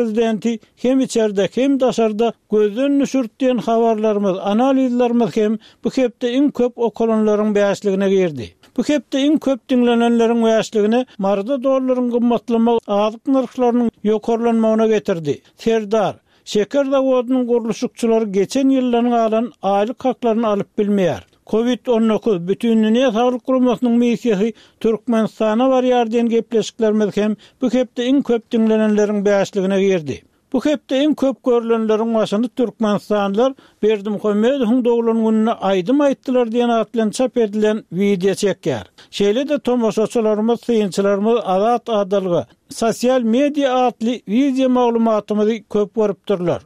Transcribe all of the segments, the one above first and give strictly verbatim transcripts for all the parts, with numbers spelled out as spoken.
prezidenti hem içerde, hem daşarda gözden düşürdi diýen habarlarymyz, analizlerimiz hem bu hepde iň köp okalanlaryň bäşligine girdi. Bu hepde iň köp diňlenenleriň bäşligine Maryda dollaryň gymmatlamagy azyk nyrhlarynyň ýokarlanmagyna getirdi. Serdar, şeker zawodynyň gurluşykçylary geçen ýyldan galan aýlyk haklaryny alyp bilmeýär. Covid on dokuz Bütindünýä Saglyk Guramasynyň missiýasy Türkmenistana barýar diýen gepleşiklerimiz hem bu hepde iň köp diňlenenleriň bäşligine girdi. Bu hepde iň köp görülenleriň başyny Türkmenistanlylar Berdimuhamedowyň doglan gününe aýdym aýtdylar diýen at bilen çap edilen wideo çekýär. Şeýle-de tomaşaçylarymyz, synçylarymyz Azat Adalga, sosial media atly wideo maglumatymyzy köp görüpdirler.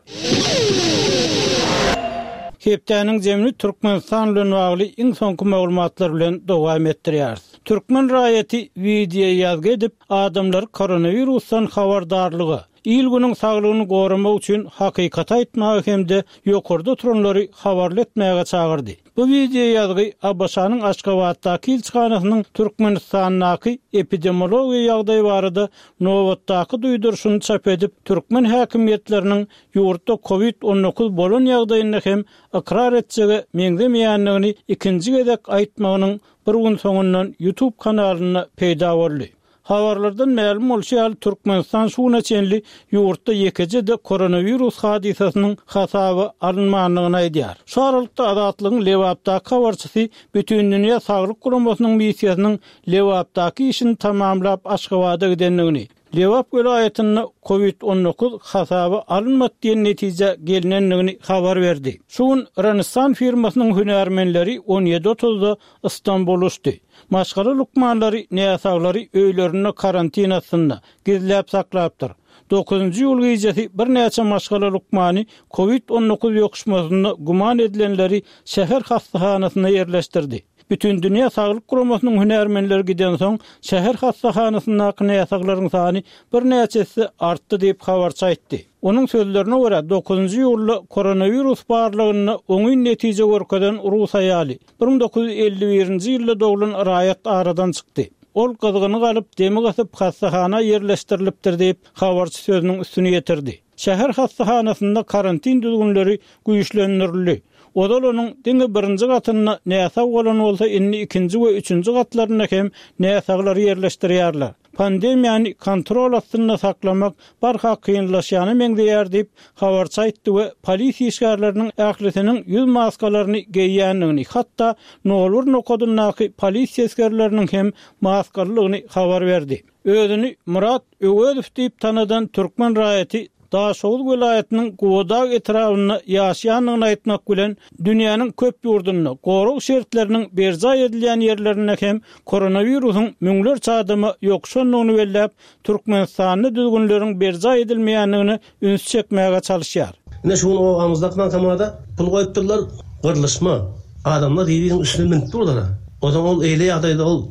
Hepdäniň jemini Türkmenistan bilen bagly iň soňky maglumatlar bilen dowam etdirýäris. Türkmen raýaty wideo ýazgy edip, adamlar koronavirusdan habardarlyga, il günüň saglygyny goramak üçin hakykat aýtmagy hem-de ýokarda oturanlary habarly etmäge çagyrdy. Bu wideo ýazgy A B Ş-nyň Aşgabatdaky ilçihanasynyň Türkmenistandaky epidemiologiýa ýagdaýy barada nobatdaky duýduryşyny çap edip, türkmen häkimiýetleriniň ýurtda Covid on dokuz bolan ýagdaýynda hem ykrar etjege meňzemeýändigini ikinji gezek aýtmagynyň bir gün soňundan YouTube kanalynda peýda boldy. Habarlardan mälim bolşy ýaly Türkmenistan şu güne çenli ýurtda ýekeje-de koronavirus hadysasynyň hasaby alynmandygyny aýdýar. Şu aralykda Azatlygyň Lebapdaky habarçysy Bütindünýä Saglyk Guramasynyň missiýasynyň Lebapdaky işini tamamlap Aşgabada gidendigini, Lebap welaýatynda Covid on dokuz hasaby alynmady diýen netije gelinendigini habar berdi. Şu gün Rönesans firmasynyň hünärmenleri on ýedi otuzda Istanbul uçdy. Maşgala lukmanlary näsaglary öýlerinde karantin astynda gizläp saklapdyr. Dokuzynjy ýyl gijesi birnäçe maşgala lukmany Covid on dokuz ýokuşmasynda güman edilenleri şäher hastahanasynda ýerleşdirdi. Bütindünýä Saglyk Guramasynyň hünärmenleri giden soň şäher hastahanasyndaky näsaglaryň sany birnäçesi artdy diýip habarçy aýtdy. Onuň sözlerine görä dokuzynjy ýylda koronavirus barlygynda oňyn netije görkezen Rus aýaly bir müň dokuz ýüz elli birinji ýylda doglan raýat aradan çykdy. Ol gyzgyny galyp demi gysyp hastahana ýerleşdirilipdir diýip habarçy sözüniň üstüni ýetirdi. Şäher hastahanasynda karantin düzgünleri güýçlendirildi. Ozal onuň diňe birinji gatynda näsag bolan bolsa indi ikinji we üçünji gatlarynda hem näsaglary ýerleşdirýärler. Pandemiýany kontrol astynda saklamak barha kynlaşýana meňzeýär diýip habarçy aýtdy we polisiýa işgärleriniň ählisiniň ýüz maskalaryny geýýändigini, hatda nol bir nokadyndaky polisiýa esgerleriniň hem maskalydygyny habar berdi. Özüni Murat Öwezow diýip tanadan türkmen raýaty Daşoguz welaýatynyň Gubadag etrabynda ýaşaýandygyny aýtmak bilen dünýäniň köp ýurdunda gorag şertleriniň berjaý edilýän ýerlerinde hem koronawirusyň müňlerçe adama ýokuşandygyny belläp, Türkmenistanda düzgünleriň berjaý edilmeýändigine üns çekmäge çalışýar. Ine şu gün obamyzdaky bankomata pul goýupdyrlar, gyrlyşma. Adamlar bir-biriniň üstüne münüp durdular. O zaman ol eýle ýagdaýda ol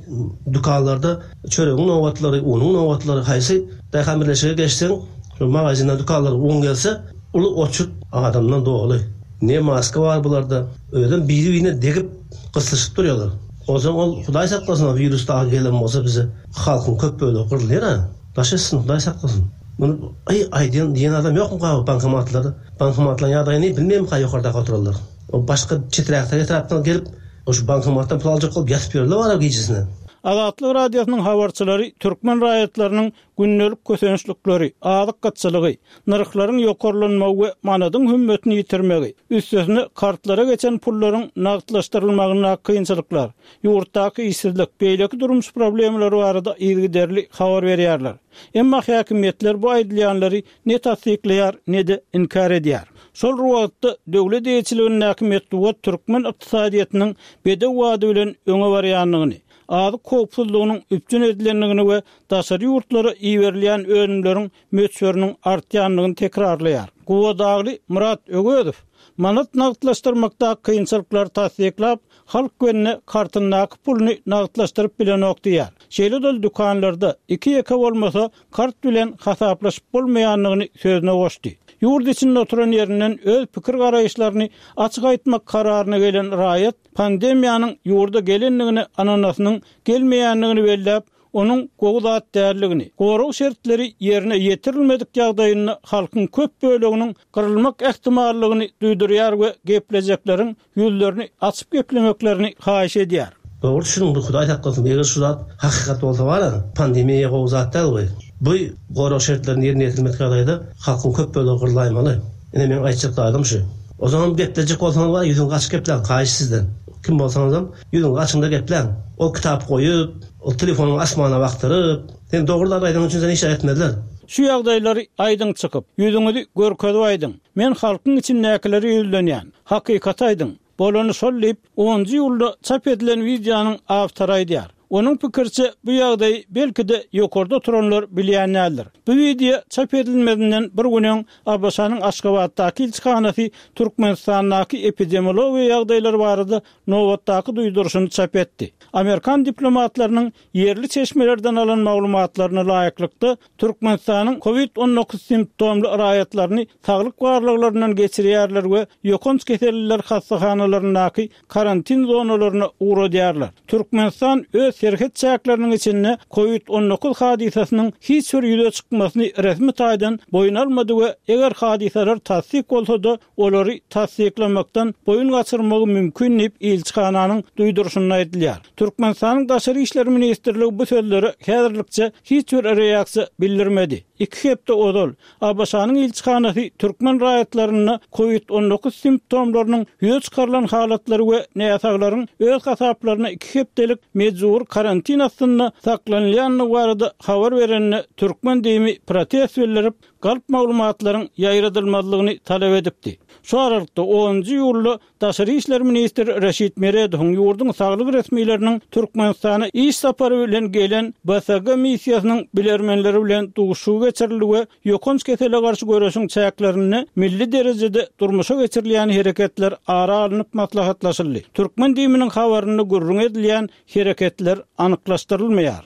dükanlarda çöregiň nobatlary, unuň nobatlary, haýsy daýhan birleşige geçseň, şu magazinde dükanlar un gelse, uly oçurt adamdan doly. Ne maska bar bularda, özem biri-birine degip gyslyşyp durýarlar. O zaman ol Hudaý saklasyn, o virus daha gelen bolsa bize halkyň köp bölegi gyrylýar ha. Daş etsin, Hudaý saklasyn. Muny aý aýdýan diýen adam ýokmy gaby bankomatlarda? Bankomatlaryň ýagdaýyny bilmeýärmi ýokardaky oturanlar? O başga çeträkde etrapdan gelip, o şu bankomatdan pul aljak bolup ýatyp ýörler bar gijesine. Azatlyk Radiosynyň habarçylary türkmen raýatlarynyň gündelik kösençlikleri, azyk gytçylygy, nyrhlaryň ýokarlanmagy we manadyň hümmetini ýitirmegi, üstesine kartlara geçen pullaryň nagtlaşdyrylmagyna kynçylyklar, ýurtdaky işsizlik, beýleki durmuş problemalary barada yzygiderli habar berýärler. Emma häkimiýetler bu aýdylýanlary ne tassyklaýar, ne-de inkär edýär. Şol wagtda döwlet eýeçiligindäki metbugat türkmen ykdysadyýetiniň bedew wady bilen öňe barýandygyny, azyk howpsuzlygynyň üpjün edilendigini we daşary ýurtlara iberilýän önümleriň möçberiniň artýandygyny tekrarlaýar. Guwadagly Murat Öwezow manat nagtlaşdyrmakda kynçylyklary tassyklap, halk gününe kartyndaky puluny nagtlaşdyryp bilenok diýär. Şeýle-de dükanlarda iki ýeke bolmasa kart bilen hasaplaşyp bolmaýandygyny sözüne goşdy. Ýurt içinde oturan ýerinden öz pikir garaýyşlaryny açyk aýtmak kararyna gelen raýat pandemiýanyň ýurda gelendigini ananasynyň gelmeýändigini belläp, onuň gowy zat däldigini, gorag şertleri ýerine ýetirilmedik ýagdaýynda halkyň köp böleginiň gyrylmak ähtimallygyny duýdurýar we geplejekleriň ýüzlerini açyp geplemeklerini haýyş edýär. Dogry düşüniň, bu Hudaý saklasyn, eger şu zat hakykat bolsa bar, pandemiýa gowy zat däl bu. Bu gorag şertlerini ýerine ýetirmek ýagdaýda halkyň köp bölegi gyrlaýmaly. Ine men aýtjak zadym şu. O zaman geplejek bolsaňyz bar, ýüzüňi açyp gepläň, haýyş sizden. Kim bolsaňyz hem ýüzüňi açyňda gepläň. O kitap goýup, o telefonyň asmana bakdyryp, sen dogry zat aýdan üçin seni işe etmezler. Şu ýagdaýlary aýdyň çykyp, ýüzüňizi görkezip aýdyň. Men halkyň içindäkileri ýüzlenýän. Hakykat aýdyň. Bolany şol diýip, onunjy iýulda çap edilen wideonyň awtory aýdýar. Onuň pikirçe bu ýagdaý belki-de ýokarda oturanlar bilýänlerdir. Bu wideo çap edilmezinden bir gün öň ABŞ-nyň Aşgabatdaky ilçihanasy Türkmenistandaky epidemiologiýa ýagdaýlary barada nobatdaky duýduryşyny çap etdi. Amerikan diplomatlarynyň ýerli çeşmelerden alan maglumatlaryna laýyklykda Türkmenistanyň COVID on dokuz simptomly raýatlaryny saglyk barlaglaryndan geçirýärler we ýokanç keselliler hassahanalaryndaky karantin zonalaryna ugradýarlar. Türkmenistan öz serhet çäkleriniň içinde COVID on dokuz hadysasynyň hiç bir ýüze çykmasyny resmi taýdan boýun almady we eger hadysalar tassyk bolsa-da olary tassyklamakdan boýun gaçyrmagy mümkin diýip ilçihananyň duýduryşynda aýdylýar. Türkmenistanyň Daşary İşler Ministrligi bu sözlere häzirlikçe hiç bir reaksiýa bildirmedi. Iki hepde ozal ABŞ-nyň ilçihanasy türkmen raýatlaryna COVID on dokuz simptomlarynyň ýüze çykarylan halatlary we näsaglaryň öz hasaplaryna iki hepdelik mejbur karantin astynda saklanylýandygy barada habar berenine türkmen dini protest bildirip, galp maglumatlaryň ýaýradylmazlygyny talap edipdi. Şu aralykda onunjy iýulda Daşary İşler Ministri Reşit Meredowyň ýurduň saglyk resmileriniň Türkmenistana iş sapary bilen gelen B S G missiýasynyň bilermenleri bilen duşuşygy geçirildi we ýokanç kesele garşy göreşiň çäklerinde milli derejede durmuşa geçirilýän hereketler ara alnyp maslahatlaşyldy. Türkmen dininiň habarynda gürrüň edilýän hereketler anyklaşdyrylmaýar.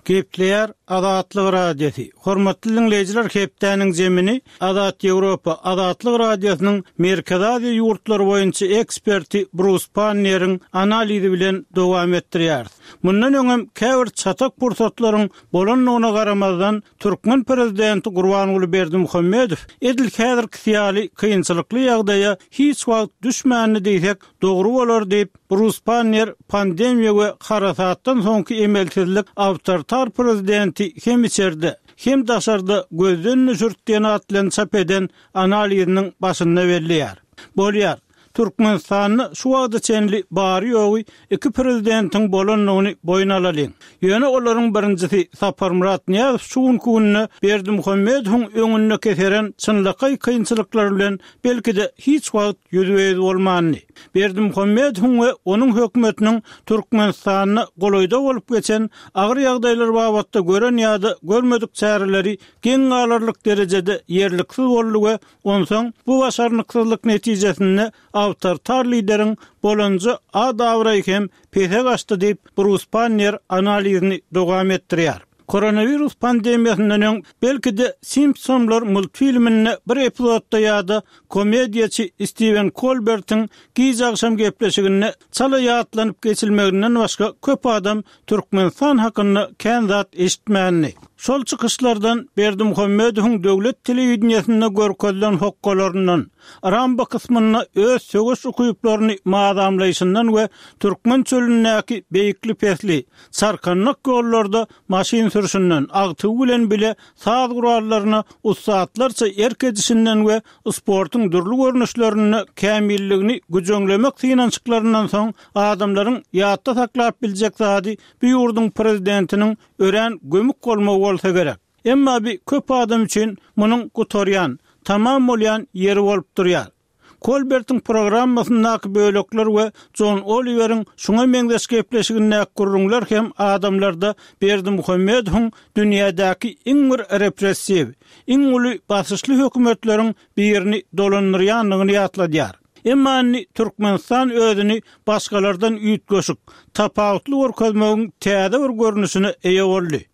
Gepleýär Azatlyk Radiosy. Hormatly dinleýjiler, hepdäniň zemini Azat Ýewropa Azatlyk Radiosynyň Merkezi Aziýa ýurtlary boýunça eksperti Brus Panneriň analizi bilen dowam etdirýär. Mundan öňem käbir çatak pursatlaryň bolandygyna garamazdan türkmen prezidenti Gurbanguly Berdimuhamedow edil häzirki syýaly kynçylykly ýagdaýa hiç wagt düşmänini diýsek dogry bolar diýip Brus Panner pandemiýa we harasatdan soňky emelsizlik awtoritar prezidenti hem içerde hem daşarda gözden düşürtdiýen atlaryny çap eden analiziniň başynda belleýär. Bolýar. Türkmenistanda şu wagta çenli bary ýogy iki prezidentiň bolandygyny boýun alalyň. Ýöne olaryň birinjisi Saparmyrat Nyýazow şu günki günde Berdimuhamedowyň öňünde keseren çynlakaý kynçylyklar bilen belki-de hiç wagt ýüzbe-ýüz bolmandy. Berdimuhamedowyň we onuň hökümetiniň Türkmenistanda golaýda bolup geçen agyr ýagdaýlar babatda gören ýa-da görmedik çäreleri geň galarlyk derejede ýerliksiz boldy we onsoň bu başarnyksyzlyk netijesinde awtoritar lideriň bolanja ad-abraýy hem pese gaçdy diýip Brus Panner analizini dowam etdirýär. Koronavirus pandemiýasyndan öň belki-de Simpsonlar multfilminde bir epizodda ýa-da komediýaçy Steven Colbertiň giç agşam gepleşiginde çala ýatlanyp geçilmeginden başga köp adam Türkmenistan hakynda kän zat eşitmändi. Şol çykyşlardan Berdimuhamedowyň döwlet telewideniýesinde görkezilen hokkalaryndan, Ramba kysmynda öz söweş ukyplaryny madamlaýşyndan we türkmen çölündäki beýikli pesli, çarkanlyk ýollarda maşyn sürüşinden, agtygy bilen bile saz gurallaryna ussatlarça erk edişinden we sportuň dürli görnüşlerinde kämilligini güjeňlemek synanyşyklaryndan soň adamlaryň ýatda saklap biljek zady bu ýurduň prezidentiniň örän gömük bolmagy bolsa gerek. Emma bir köp adam üçin munuň gutarýan, tamam bolýan ýeri bolup durýar. Colbertiň programmasyndaky bölekler we John Oliveriň şuňa meňzeş gepleşigindäki gürrüňler hem adamlarda Berdimuhamedowyň dünýädäki iň bir repressiw, iň uly basyşly hökümetleriň birini dolandyrýandygyny ýatladýar. Emma indi Türkmenistan özüni başgalardan üýtgeşik, tapawutly görkezmegiň täze bir görnüşine eýe boldy.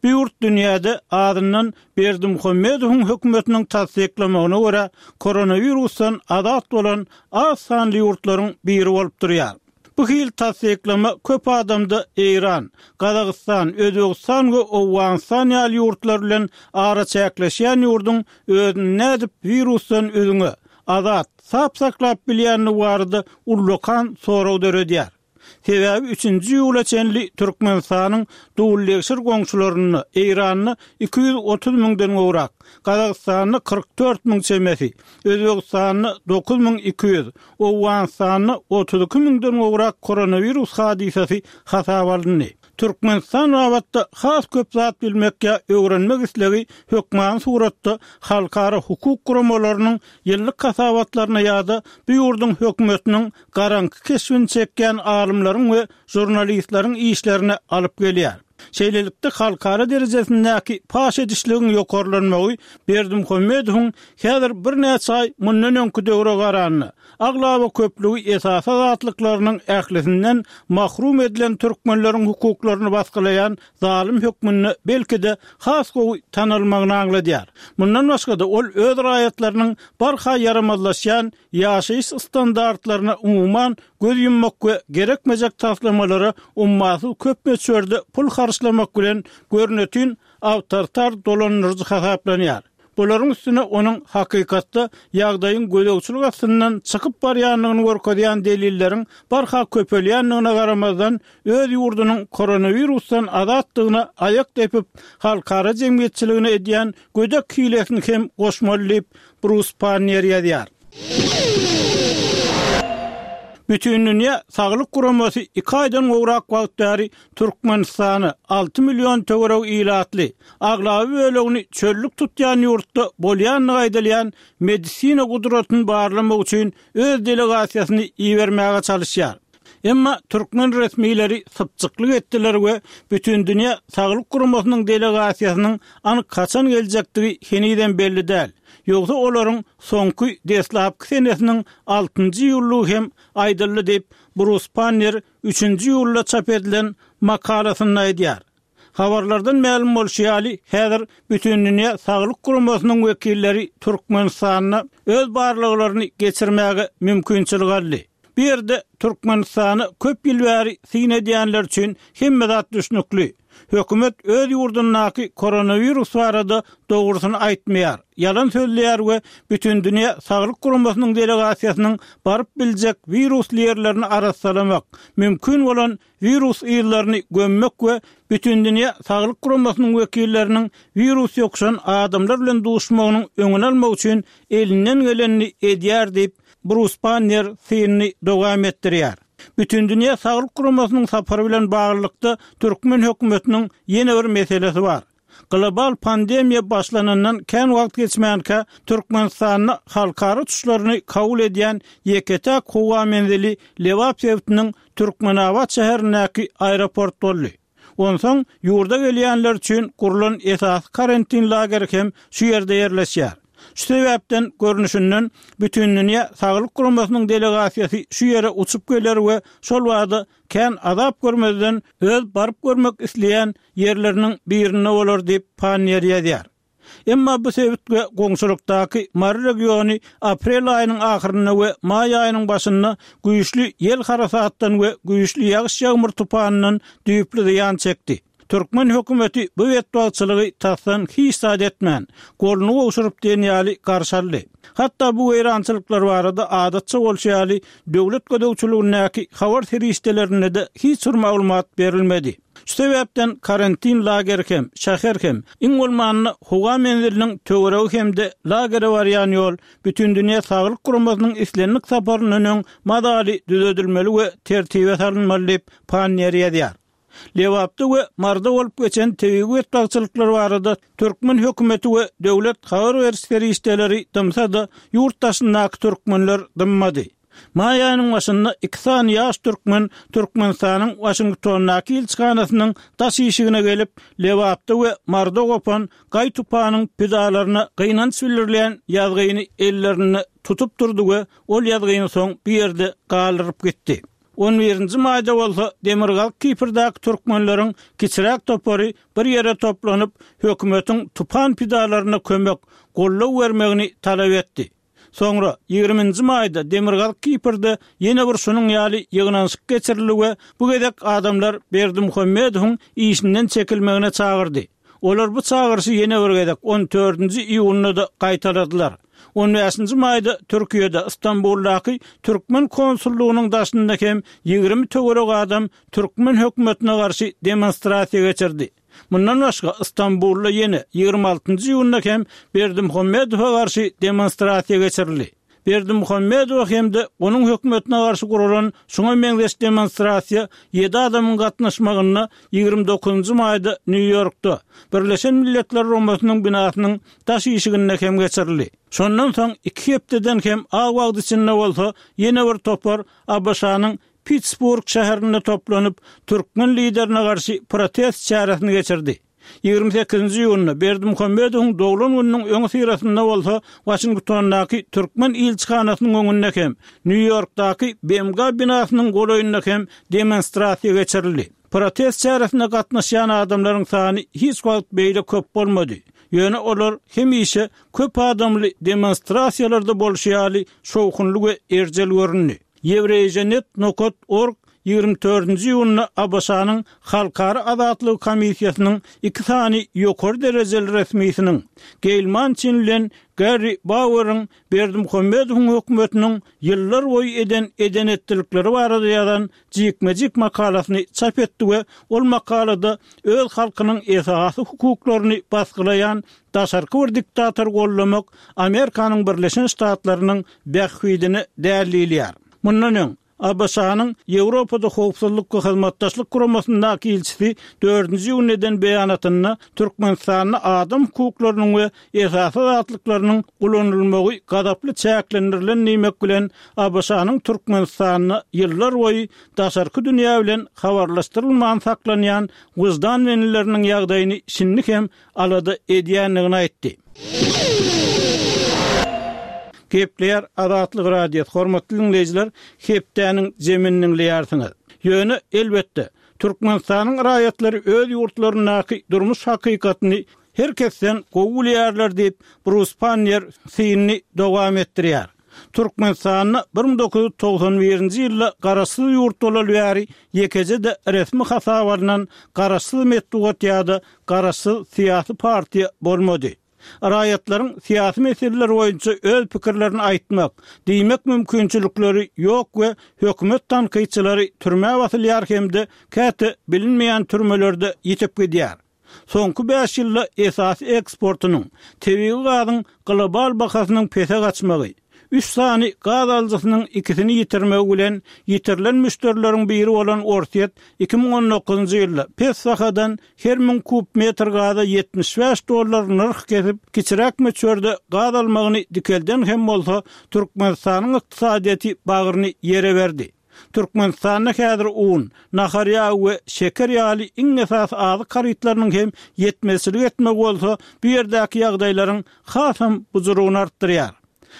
Bu ýurt dünýäde azyndan Berdimuhamedowyň hökümetiniň tassyklamagyna görä koronavirusdan azat bolan az sanly ýurtlaryň biri bolup durýar. Bu hili tassyklama köp adamda Eýran, Gazagystan, Özbegistan we Owganystan ýaly ýurtlar bilen araçäkleşýän ýurduň özüni nädip wirusdan üzňe, azat, sap saklap bilýändigi barada ullakan sorag döredýär. Sebäbi üçünji iýula çenli Türkmenistanyň dullegşir goňşularynda Eýranda iki ýüz otuz müňden gowrak, Gazagystanda kyrk dört müň çemesi, Özbegistanda dokuz müň iki ýüz, Owganystanda otuz iki müňden gowrak koronawirus hadysasy hasaba alyndy. Türkmenistan babatda has köp zat bilmek ýa öwrenmek islegi hökmany suratda halkara hukuk guramalarynyň ýyllyk hasabatlaryna ýa-da bu ýurduň hökümetiniň garaňky keşbini çekýän alymlaryň we žurnalistleriň işlerine alyp gelýär. Şeýlelikde, halkara derejesindäki paş edişligiň ýokarlanmagy Berdimuhamedowyň häzir birnäçe aý mundan öňki döwre garanda, aglaba köplügi esasy azatlyklarynyň ählisinden mahrum edilen türkmenleriň hukuklaryny basgylaýan zalym hökmünde belki-de has gowy tanalmagyny aňladýar. Mundan başga-da, ol öz raýatlarynyň barha ýaramazlaşýan ýaşaýyş standartlaryna umuman göz ýummak we gerekmejek taslamalara ummasyz köp möçberde pul harçlamak bilen görnetin awtoritar dolandyryjy hasaplanýar. Bularyň üstüne onuň hakykatda ýagdaýyň gözegçilik astyndan çykyp barýandygyny görkezýän delilleriň barha köpelýändigine garamazdan, öz ýurdunyň koronawirusdan azatdygyna aýak depip, halkara jemgyýetçiligine edýän gödek hilesini hem goşmaly diýip, Brus Panniýer ýazýar. Bütindünýä Saglyk Guramasy iki aýdan gowrak wagt bäri Türkmenistany alty million töweregi ilatly, aglaba bölegini çöllük tutýan ýurtda bolýandygy aýdylýan medisina gudratyny barlamak üçin öz delegasiýasyny ibermäge çalyşýar. Emma türkmen resmileri sypjyklyk etdiler we Bütindünýä Saglyk Guramasynyň delegasiýasynyň anyk haçan geljekdigi henizem belli däl. Ýogsa olaryň soňky deslapky senesiniň altynjy iýullygy hem aýdyldy diýip, Brus Pannier üçünji iýulda çap edilen makalasynda aýdýar. Habarlardan mälim bolşy ýaly, häzir Bütindünýä Saglyk Guramasynyň wekilleri Türkmenistanda öz barlaglaryny geçirmäge mümkinçilik aldy. Bu ýerde Türkmenistana köp ýyl bäri syn edýänler üçin hemme zat düşnükli. Hökümet öz ýurdundaky koronawirus barada dogrusyny aýtmaýar, ýalan sözleýär we Bütindünýä Saglyk Guramasynyň delegasiýasynyň baryp biljek wirusly ýerlerini arassalamak, mümkin bolan wirus yzlaryny gömmek we Bütindünýä Saglyk Guramasynyň wekilleriniň wirus ýokuşan adamlar bilen duşmagynyň öňüni almak üçin elinden gelenini edýär diýip, Brus Pannier synyny dowam etdirýär. Bütindünýä Saglyk Guramasynyň sapary bilen baglylykda türkmen hökümetiniň ýene bir meselesi bar. Global pandemiýa başlanandan kän wagt geçmänkä Türkmenistanda halkara uçuşlaryny kabul edýän ýeke-täk howa menzili Lebap sebitiniň Türkmenabat şäherindäki aeroport boldy. Onsoň ýurda gelýänler üçin gurlan esasy karantin lageri hem şu ýerde ýerleşýär. Şu sebäpden, görnüşinden, Bütindünýä Saglyk Guramasynyň delegasiýasy şu ýere uçup geler we şol bada kän azap görmezden öz baryp görmek isleýän ýerleriniň birinde bolar diýip, Panniýer ýazýar. Emma bu sebit we goňşulykdaky Mary regiony aprel aýynyň ahyrynda we maý aýynyň başynda güýçli ýel harasatdan we güýçli ýagyş-ýagmyr tupanyndan düýpli zyýan çekdi. Türkmen hökümeti bu betbagtçylygy tasdan hiç zat etmän, goluny gowşuryp diýen ýaly garşy aldy. Hatda bu weýrançylyklar barada adatça bolşy ýaly döwlet gözegçiligindäki habar serişdelerinde-de hiç bir maglumat berilmedi. Şu sebäpden karantin lageri hem, şäher hem, iň bolmanda howa menziliniň töweregi hem-de lagere barýan ýol Bütindünýä Saglyk Guramasynyň islendik saparyndan öň mazaly düzedilmeli we tertibe salynmaly diýip, Panniýer ýazýar. Lebapda we Maryda bolup geçen tebigy betbagtçylyklar barada türkmen hökümeti we döwlet habar beriş serişdeleri dymsa-da, ýurt daşyndaky türkmenler dymmady. Maý aýynyň başynda iki sany ýaş türkmen Türkmenistanyň Waşingtondaky ilçihanasynyň daş işigine gelip, Lebapda we Maryda gopan gaý-tupanyň pidalaryna gynanç bildirilýän ýazgyny ellerinde tutup durdy we ol ýazgyny soň bu ýerde galdyryp gitdi. On birinji maýda bolsa Demirgazyk Kiprdäki türkmenleriň kiçiräk topary bir ýere toplanyp, hökümetiň tupan pidalaryna kömek, goldaw bermegini talap etdi. Soňra ýigriminji maýda Demirgazyk Kiprde ýene bir şunuň ýaly ýygnanyşyk geçirildi we bu gezek adamlar Berdimuhamedowyň işinden çekilmegine çagyrdy. Olar bu çagyryşy ýene bir gezek on dördünji iýunda-da gaýtaladylar. On bäşinji maýda Türkiýede Istanbuldaky Türkmen konsullygynyň daşynda hem ýigrimi töwerek adam Türkmen hökümetine garşy demonstrasiýa geçirdi. Mundan başga Istanbulda ýene ýigrimi altynjy iýunda hem Berdimuhamedowa garşy demonstrasiýa geçirildi. Berdimuhamedowa hem-de onuň hökümetine garşy guralan şuňa meňzeş demonstrasiýa ýedi adamyň gatnaşmagynda ýigrimi dokuzynjy maýda Nýu-Ýorkda Birleşen Milletler Guramasynyň binasynyň daş işiginde hem geçirildi. Şondan soň iki hepdeden hem az wagt içinde bolsa ýene bir topar A B Ş-nyň Pittsburgh şäherinde toplanyp, türkmen liderine garşy protest çäresini geçirdi. Ýigrimi sekizinji iýunda Berdimuhamedowyň doglan gününiň öňi syrasynda bolsa Waşingtondaky türkmen ilçihanasynyň öňünde hem, Nýu-Ýorkdaky B M G binasynyň golaýynda hem demonstrasiýa geçirildi. Protest çäresine gatnaşýan adamlaryň sany hiç wagt beýle köp bolmady. Ýöne olar hemişe köp adamly demonstrasiýalarda bolşy ýaly şowhunly we erjel göründi. Ýewreýjenet nokat org ýigrimi dördünji iýunda A B Ş-nyň Halkara Azatlygy Komissiýasynyň iki sany ýokary derejeli resmisiniň Geýl Mançin bilen Garry Baueriň Berdimuhamedowyň hökümetiniň ýyllar boýy eden eden-etdilikleri barada ýazan jikme-jik makalasyny çap etdi we ol makalada öz halkynyň esasy hukuklaryny basgylaýan daşarky bir diktator gollamak Amerikanyň Birleşen Ştatlarynyň bähbidine däl diýilýär. Mundan öň A B Ş-nyň Ýewropada howpsuzlyk we hyzmatdaşlyk guramasyndaky ilçisi dördünji iýunda eden beýanatynda Türkmenistanda adam hukuklarynyň we esasy azatlyklarynyň ulanylmagy gazaply çäklendirilen diýmek bilen A B Ş-nyň Türkmenistanda ýyllar boýy daşarky dünýä bilen habarlaşdyrylman saklanýan wyždan bendileriniň ýagdaýyny şindi hem alada edýändigini aýtdy. Gepleýär Azatlyk Radiosy, hormatly dinleýjiler, hepdäniň jemini dinleýärsiňiz. Ýöne elbetde Türkmenistanyň raýatlary öz ýurtlaryndaky durmuş hakykatyny her kesden gowy bilýärler diýip Brus Pannier synyny dowam etdirýär. Türkmenistanda bir müň dokuz ýüz togsan birinji ýylda garaşsyz ýurt bolaly bäri ýekeje-de resmi hasap alynan garaşsyz metbugat ýa-da garaşsyz syýasy partiýa bolmady. Raýatlaryň syýasy meseleler boýunça öz pikirlerini aýtmak, diýmek mümkinçilikleri ýok we hökümet tankytçylary türmä basylýar hem-de käte bilinmeýän türmelerde ýitip gidýär. Soňky bäş ýylda esasy eksportynyň, tebigy gazyň global bahasynyň pese gaçmagy, üç sany gaz alyjysynyň ikisini ýitirmegi bilen ýitirilen müşderileriň biri bolan Orsýet iki müň on dokuzynjy ýylda pes bahadan her müň kub metr gaza ýetmiş bäş dollar nyrh kesip, kiçiräk möçberde gaz almagyny dikelden hem bolsa Türkmenistanyň ykdysadyýeti bagryny ýere berdi. Türkmenistanda häzir un, nahar ýagy we şeker ýaly iň esasy azyk harytlarynyň hem ýetmezçilik etmegi bolsa bu ýerdäki ýagdaýlaryň hasam bujuryny artdyrýar.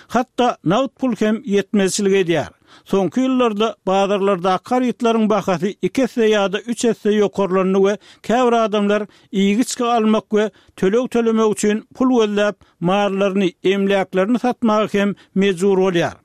Hatda nagt pul hem ýetmezçilik edýär. Soňky ýyllarda bazarlardaky harytlaryň bahasy iki esse ýa-da üç esse ýokarlandy we käbir adamlar iýgiçki almak we töleg tölemek üçin pul gözläp, mallaryny, emläklerini satmaga hem mejbur bolýar.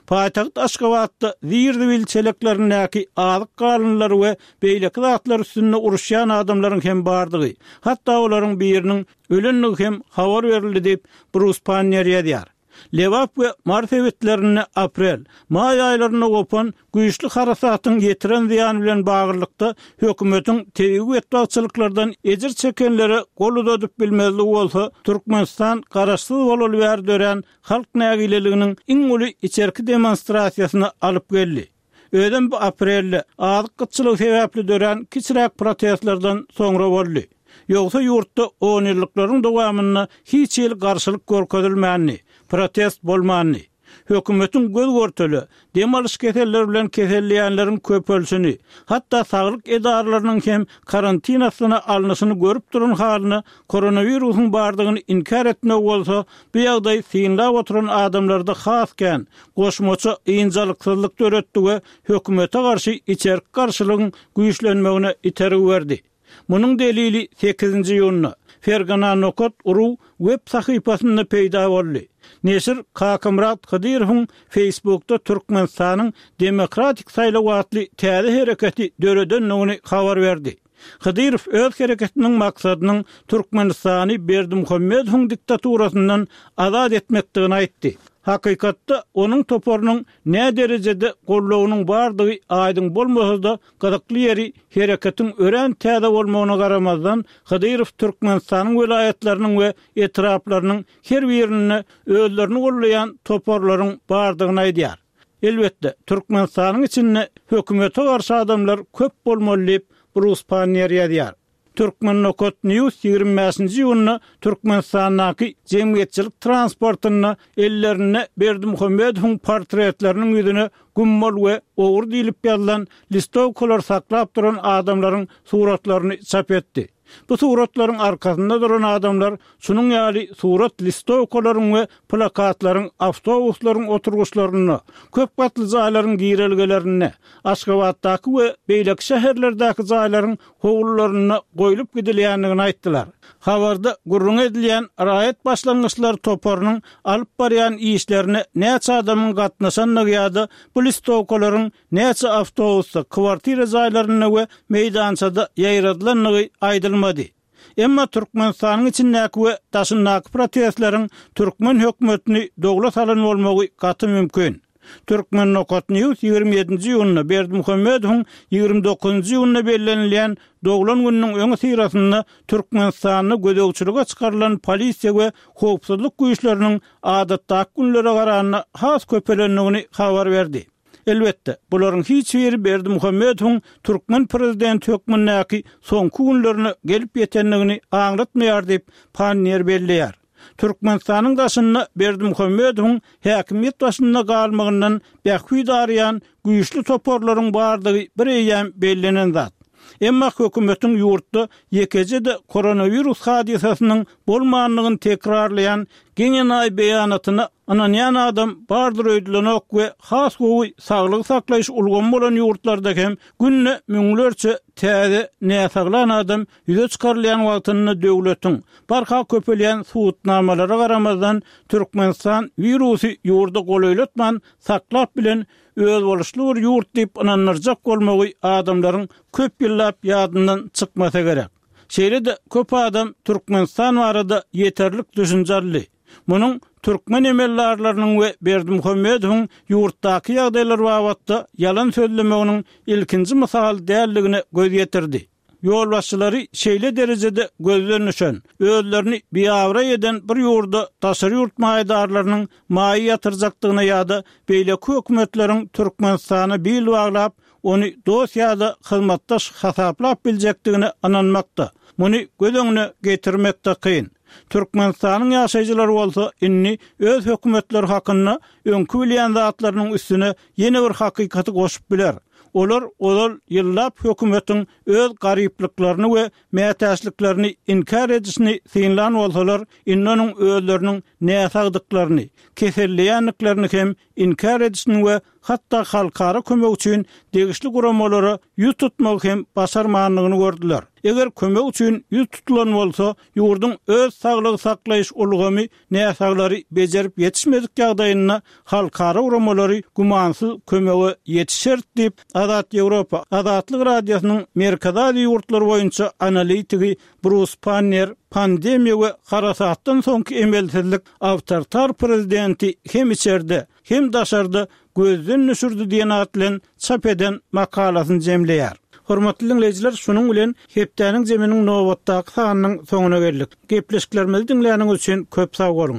Paýtagt Aşgabatda zir-zibil çeleklerindäki azyk galynlary we beýleki zatlar üstünde uruşýan adamlaryň hem bardygy, hatda olaryň biriniň ölendigi hem habar berildi diýip Brus Pannier ýazýar. Lebap we Mary sebitlerinde aprel, maý aýlarynda gopan güýçli harasatyň ýetiren zyýany bilen baglylykda hökümetiň tebigy betbagtçylyklardan ejir çekenlere gol uzadyp bilmezligi bolsa Türkmenistan garaşsyz bolaly bäri dörän halk nägileliginiň iň uly içerki demonstrasiýasyna alyp geldi. Özem bu aprelde azyk gytçylygy sebäpli dörän kiçiräk protestlerden soňra boldy. Ýogsa ýurtda on ýyllyklaryň dowamynda hiç hili garşylyk görkezilmändi, protest bolmandy. Hökümetiň göz görteli, dem alyş keselleri bilen keselleýänleriň köpelişini, hatda saglyk edaralarynyň hem karantin astyna alnyşyny görüp duran halyna koronawirusyň bardygyny inkär etmegi bolsa, bu ýagdaý synlap oturan adamlarda has kän, goşmaça ynjalyksyzlyk döretdi we hökümete garşy içerki garşylygyň güýçlenmegine itergi berdi. Munuň delili sekizinji iýunda Fergana nokat ru web sahypasynda peýda boldy. Neşir Kakamyrat Hydyrowyň Facebookda Türkmenistanyň Demokratik saýlawy atly täze hereketi döredendigini habar berdi. Hydyrow öz hereketiniň maksadynyň Türkmenistany Berdimuhamedowyň diktaturasyndan azat etmekdigini aýtdy. Hakykatda onuň toparynyň nä derejede goldawynyň bardygy aýdyň bolmasa-da, gyzykly ýeri hereketiň örän täze bolmagyna garamazdan, Hydyrow Türkmenistanyň welaýatlarynyň we etraplarynyň her birinde özlerini goldaýan toparlaryň bardygyny aýdýar. Elbetde, Türkmenistanyň içinde hökümete garşy adamlar köp bolmaly diýip, Brus Panniýer ýazýar. Turkmen nokat News ýigrimi bäşinji iýunda Türkmenistandaky jemgyýetçilik transportynda ellerinde Berdimuhamedowyň portretleriniň ýüzüne Güm bol we Ogry diýlip ýazylan listowkalar saklap duran adamlaryň suratlaryny çap etdi. Bu suratlaryň arkasynda duran adamlar şunuň ýaly surat listowkalaryň we plakatlaryň awtobuslaryň oturgyçlarynda, köp gatly jaýlaryň girelgelerinde, Aşgabatdaky we beýleki şäherlerdäki jaýlaryň howlularynda goýlup gidilýändigini aýtdylar. Habarda gürrüňi edilýän Raýat başlangyçlary toparynyň alyp barýan işlerine näçe adamyň gatnaşandygy ýa-da bu listowkalaryň näçe awtobusda, kwartira jaýlarynda we meýdançada ýaýradylandygy aýdylmady. Emma Türkmenistanyň içindäki we daşyndaky protestleriň türkmen hökümetini dowla salan bolmagy gaty mümkin. Turkmen nokat News ýigrimi ýedinji iýunda Berdimuhamedowyň ýigrimi dokuzynjy iýunda bellenilýän doglan gününiň öňüsyrasynda Türkmenistanda gözegçilige çykarylan polisiýa we howpsuzlyk güýçleriniň adatdaky günlere garanda has köpelendigini habar berdi. Elbetde, bularyň hiç biri Berdimuhamedowyň türkmen prezidenti hökmündäki soňky günlerine gelip ýetendigini aňlatmaýar diýip, Panniýer belleýär. Türkmenistanyň daşynda Berdimuhamedowyň häkimiýet başynda galmagyndan bähbit araýan güýçli toparlaryň bardygy bir eýýäm bellenen zat. Emma hökümetiň ýurtda ýekeje-de koronawirus hadysasynyň bolmandygyny tekrarlaýan geň-enaýy beýanatyna ynanýan adam bardyr öýdülenok we has gowy saglygy saklaýyş ulgamy bolan ýurtlarda hem günde müňlerçe täze näsaglan adam ýüze çykarylýan wagtynda döwletiň barha köpelýän subutnamalara garamazdan Türkmenistan wirusy ýurda golaýlatman saklap bilen özboluşly bir ýurt diýip ynandyrjak bolmagy adamlaryň köp ýyllap ýadyndan çykmasa gerek. Şeýle-de köp adam Türkmenistan barada ýeterlik düşünje aldy. Munuň türkmen emeldarlarynyň we Berdimuhamedowyň ýurtdaky ýagdaýlar babatda ýalan sözlemeginiň ilkinji mysaly däldigine göz ýetirdi. Ýolbaşçylary şeýle derejede gözden düşen, özlerini biabraý eden bir ýurda daşary ýurt maýadarlarynyň maýa ýatyrjakdygyna ýa-da beýleki hökümetleriň Türkmenistana bil baglap, ony dost ýa-da hyzmatdaş hasaplap biljekdigine ynanmakda, muny göz öňüne getirmek-de kyn. Türkmenistanyň ýaşaýjylary bolsa indi öz hökümetleri hakynda öňki bilýän zatlarynyň üstüne ýene bir hakykaty goşup biler. Olar ozal ýyllap hökümetiň öz garyplyklaryny we mätäçliklerini inkär edişini synlan bolsalar, indi onuň özleriniň näsagdyklaryny, keselleýändiklerini hem inkär edişini we hatda halkara kömek üçin degişli guramalara ýüz tutmagy hem başarmandygyny gördüler. Eger kömek üçin ýüz tutulan bolsa, ýurduň öz saglygy saklaýyş ulgamy näsaglary bejerip ýetişmedik ýagdaýynda halkara guramalary gümansyz kömege ýetişer diýip, Azat Ýewropa, Azatlyk Radiosynyň Merkezi Aziýa ýurtlary boýunça analitigi Brus Panniýer pandemiýa we harasatdan soňky emelsizlik awtoritar prezidenti hem içerde, hem daşarda gözden düşürdi diýen at bilen çap eden makalasyny jemleýär. Hormatly diňleýjiler, şunuň bilen hepdäniň zeminiň nobatdaky sanynyň soňuna geldik. Gepleşiklerimizi diňläniňiz üçin köp sag boluň!